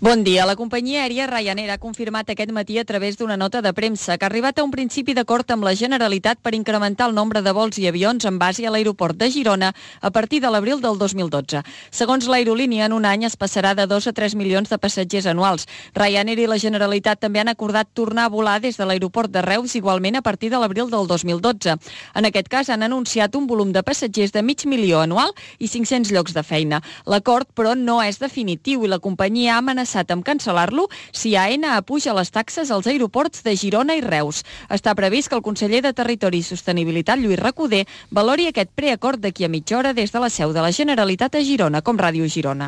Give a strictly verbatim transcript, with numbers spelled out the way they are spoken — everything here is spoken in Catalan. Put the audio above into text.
Bon dia. La companyia aèria Ryanair ha confirmat aquest matí a través d'una nota de premsa que ha arribat a un principi d'acord amb la Generalitat per incrementar el nombre de vols i avions en base a l'aeroport de Girona a partir de l'abril del dos mil dotze. Segons l'aerolínia, en un any es passarà de dos a tres milions de passatgers anuals. Ryanair i la Generalitat també han acordat tornar a volar des de l'aeroport de Reus igualment a partir de l'abril del dos mil dotze. En aquest cas han anunciat un volum de passatgers de mig milió anual i cinc-cents llocs de feina. L'acord, però, no és definitiu i la companyia ha amenaçat amb cancel·lar-lo si A N apuja les taxes als aeroports de Girona i Reus. Està previst que el conseller de Territori i Sostenibilitat, Lluís Recoder, valori aquest preacord d'aquí a mitja hora des de la seu de la Generalitat a Girona, com Ràdio Girona.